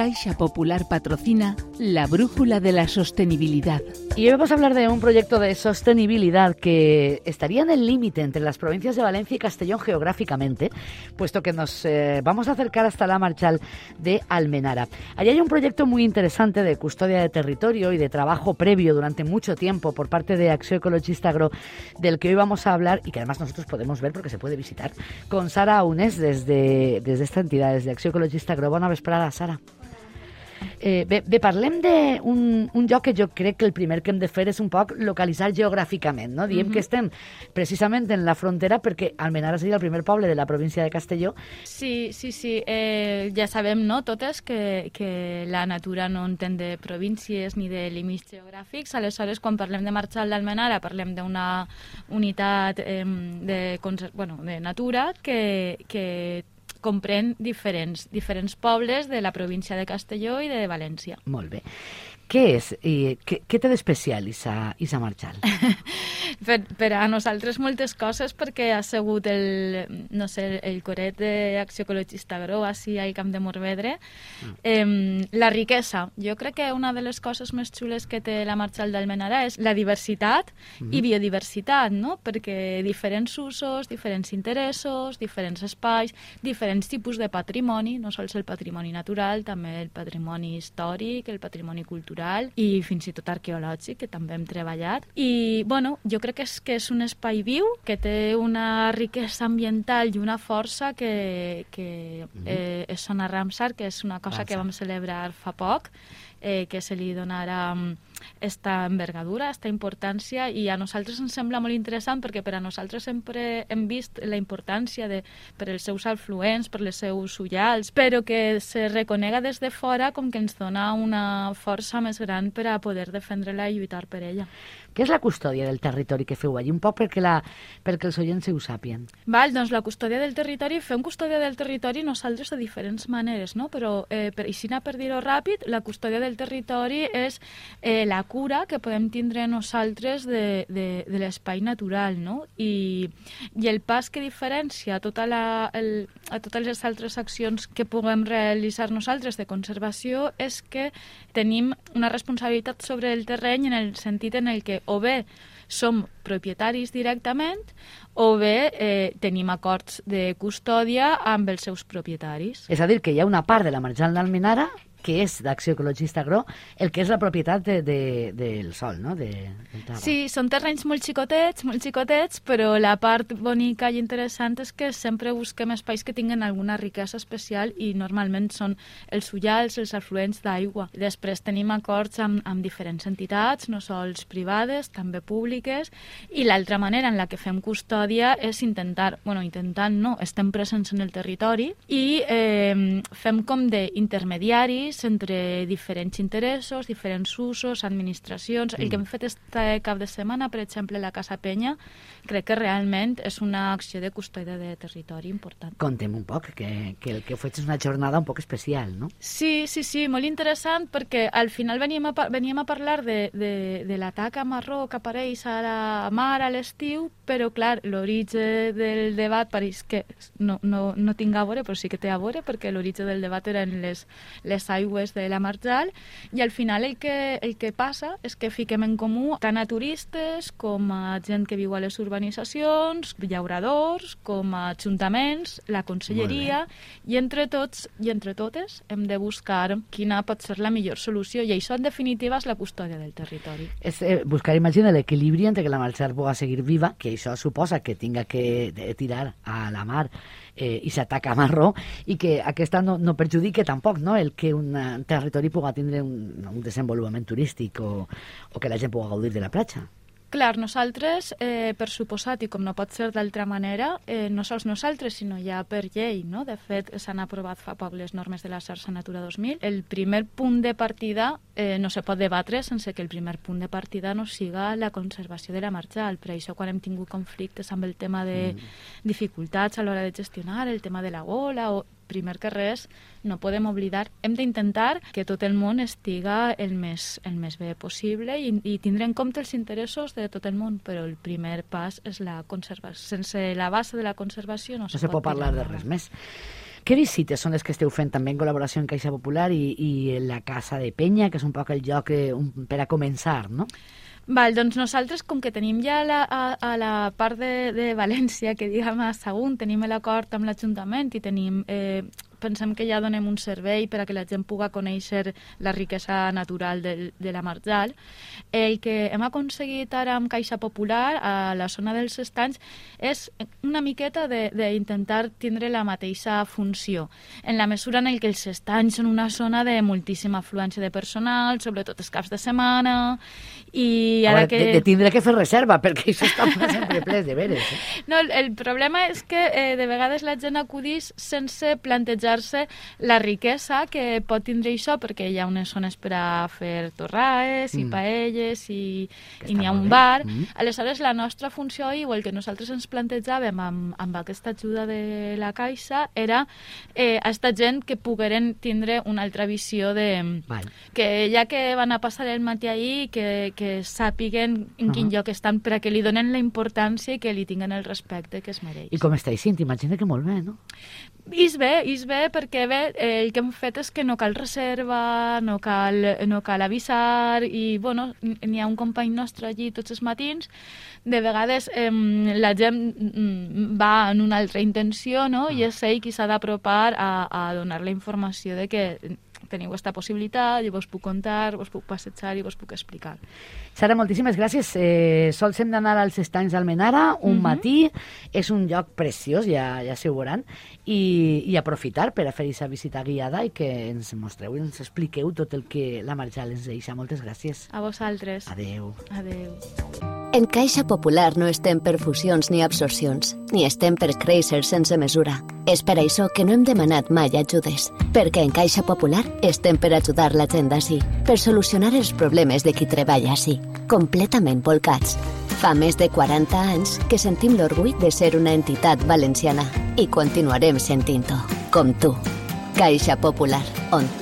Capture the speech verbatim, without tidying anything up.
Caixa Popular patrocina la Brújula de la Sostenibilidad. Y hoy vamos a hablar de un proyecto de sostenibilidad que estaría en el límite entre las provincias de Valencia y Castellón geográficamente, puesto que nos eh, vamos a acercar hasta la Marchal de Almenara. Allí hay un proyecto muy interesante de custodia de territorio y de trabajo previo durante mucho tiempo por parte de Acció Ecologista Agro, del que hoy vamos a hablar y que además nosotros podemos ver porque se puede visitar, con Sara Aunes desde, desde esta entidad, desde Acció Ecologista Agro. Bona vesprada, Sara. Eh, bé, bé, parlem d'un un lloc que jo crec que el primer que hem de fer és un poc localitzar geogràficament, no? Diem mm-hmm. que estem precisament en la frontera perquè Almenara seria el primer poble de la província de Castelló. Sí, sí, sí. Eh, ja sabem, no?, totes que, que la natura no entén de províncies ni de límits geogràfics. Aleshores, quan parlem de Marchal d'Almenara, parlem d'una unitat eh, de, bueno, de natura que, que comprèn diferents, diferents pobles de la província de Castelló i de València. Molt bé. Què és? I què, què té d'especial Isa, Isa Marchal? per, per a nosaltres moltes coses, perquè ha sigut el, no sé, el coret d'Acció Ecologista Agro, així al Camp de Morvedre. Mm. Eh, la riquesa. Jo crec que una de les coses més xules que té la Marchal d'Almenara és la diversitat mm. i biodiversitat, no? Perquè diferents usos, diferents interessos, diferents espais, diferents tipus de patrimoni, no sols el patrimoni natural, també el patrimoni històric, el patrimoni cultural, i fins i tot arqueològic, que també hem treballat. I, bueno, jo crec que és, que és un espai viu, que té una riquesa ambiental i una força que, que eh, és Zona Ramsar, que és una cosa que vam celebrar fa poc, eh, que se li donarà esta envergadura, esta importància, i a nosaltres ens sembla molt interessant perquè per a nosaltres sempre hem vist la importància de, per els seus afluents, per les seus ullals, però que se reconega des de fora com que ens dona una força més gran per a poder defendre-la i lluitar per ella. Què és la custòdia del territori que feu allí? Un poc perquè, la, perquè els oients ho sàpien. Val, doncs la custòdia del territori, fem custòdia del territori nosaltres de diferents maneres, no? Però, eh, per, així per dir-ho ràpid, la custòdia del territori és eh, la cura que podem tindre nosaltres de, de, de l'espai natural, no? I, i el pas que diferencia tota la, el, a totes les altres accions que puguem realitzar nosaltres de conservació és que tenim una responsabilitat sobre el terreny en el sentit en el que o bé som propietaris directament o bé eh, tenim acords de custòdia amb els seus propietaris. És a dir, que hi ha una part de la Marchal d'Almenara que és d'Acció Ecologista Agro, el que és la propietat de, de, del sol, no? De, de sí, són terrenys molt xicotets, molt xicotets, però la part bonica i interessant és que sempre busquem espais que tinguen alguna riquesa especial i normalment són els ullals, els afluents d'aigua. Després tenim acords amb, amb diferents entitats, no sols privades, també públiques, i l'altra manera en la que fem custòdia és intentar, bueno, intentant no, estem presents en el territori i eh, fem com d'intermediaris entre diferents interessos, diferents usos, administracions. Mm. El que hem fet este cap de setmana, per exemple, la Casa Penya, crec que realment és una acció de custòdia de territori important. Contem un poc, que, que el que fets és una jornada un poc especial, no? Sí, sí, sí, molt interessant, perquè al final veníem a, veníem a parlar de, de, de la taca marró que apareix a la mar a l'estiu, però, clar, l'origen del debat pareix que no, no, no tinc a veure, però sí que té a veure, perquè l'origen del debat eren les, les aigües de la Marchal, i al final el que, el que passa és que fiquem en comú tant a turistes com a gent que viu a les urbanitzacions, llauradors, com a ajuntaments, la conselleria, i entre tots i entre totes hem de buscar quina pot ser la millor solució, i això en definitiva és la custòdia del territori. És eh, buscar, imagina, l'equilibri entre que la Marchal pugui seguir viva, que això suposa que tinga que tirar a la mar eh, i s'ataca a marró, i que aquesta no, no perjudique tampoc, no?, el que un territori pugui tindre un, un desenvolupament turístic o, o que la gent pugui gaudir de la platja. Clar, nosaltres, eh, per suposat, i com no pot ser d'altra manera, eh, no sols nosaltres, sinó ja per llei, no? De fet, s'han aprovat fa poc les normes de la xarxa Natura dos mil. El primer punt de partida eh, no se pot debatre sense que el primer punt de partida no siga la conservació de la Marchal. Per això, quan hem tingut conflictes amb el tema de mm. dificultats a l'hora de gestionar, el tema de la gola o primer que res, no podem oblidar, hem d'intentar que tot el món estiga el més, el més bé possible i, i tindre en compte els interessos de tot el món, però el primer pas és la conservació. Sense la base de la conservació no, no se pot parlar de res més. Què visites són les que esteu fent també en col·laboració amb Caixa Popular i, i la Casa de Penya, que és un poc el lloc eh, un, per a començar, no? Val, doncs nosaltres, com que tenim ja la, a, a la part de, de València, que diguem a Sagunt, tenim l'acord amb l'Ajuntament i tenim... Eh, pensem que ja donem un servei per a que la gent pugui conèixer la riquesa natural de, de la Marjal. El que hem aconseguit ara amb Caixa Popular a la zona dels estanys és una miqueta d'intentar tindre la mateixa funció, en la mesura en què els estanys són una zona de moltíssima afluència de personal, sobretot els caps de setmana, i ara veure, que... De, de tindre que fer reserva, perquè això està sempre ple de veres. Eh? No, el, el problema és que eh, de vegades la gent acudeix sense plantejar la riquesa que pot tindre això, perquè hi ha unes zones per a fer torraes i mm. paelles i, i n'hi ha un bar. Mm. Aleshores, la nostra funció i el que nosaltres ens plantejàvem amb, amb aquesta ajuda de la Caixa era eh, a esta gent que pogueren tindre una altra visió de... Vale. Que ja que van a passar el matí ahir, que, que sàpiguen en quin uh -huh. lloc estan, per a que li donen la importància i que li tinguen el respecte que es mereix. I com està sent? Imagina que molt bé, no? És bé, és bé, perquè bé, el que hem fet és que no cal reserva, no cal, no cal avisar, i bueno, n'hi ha un company nostre allí tots els matins. De vegades eh, la gent va en una altra intenció, no? I és ell qui s'ha d'apropar a, a donar la informació de que teniu aquesta possibilitat, i vos puc contar, vos puc passejar i vos puc explicar. Sara, moltíssimes gràcies. Eh, sols hem d'anar als estanys d'Almenara un mm-hmm. matí. És un lloc preciós, ja, ja s'ho veuran, i, i aprofitar per a fer aquesta visita guiada i que ens mostreu i ens expliqueu tot el que la Marjal ens deixa. Moltes gràcies. A vosaltres. Adeu. Adeu. En Caixa Popular no estem per fusions ni absorcions, ni estem per créixer sense mesura. És per això que no hem demanat mai ajudes, perquè en Caixa Popular estem per ajudar la gent d'ací, per solucionar els problemes de qui treballa ací, completament volcats. Fa més de quaranta anys que sentim l'orgull de ser una entitat valenciana i continuarem sentint-ho, com tu. Caixa Popular, on tot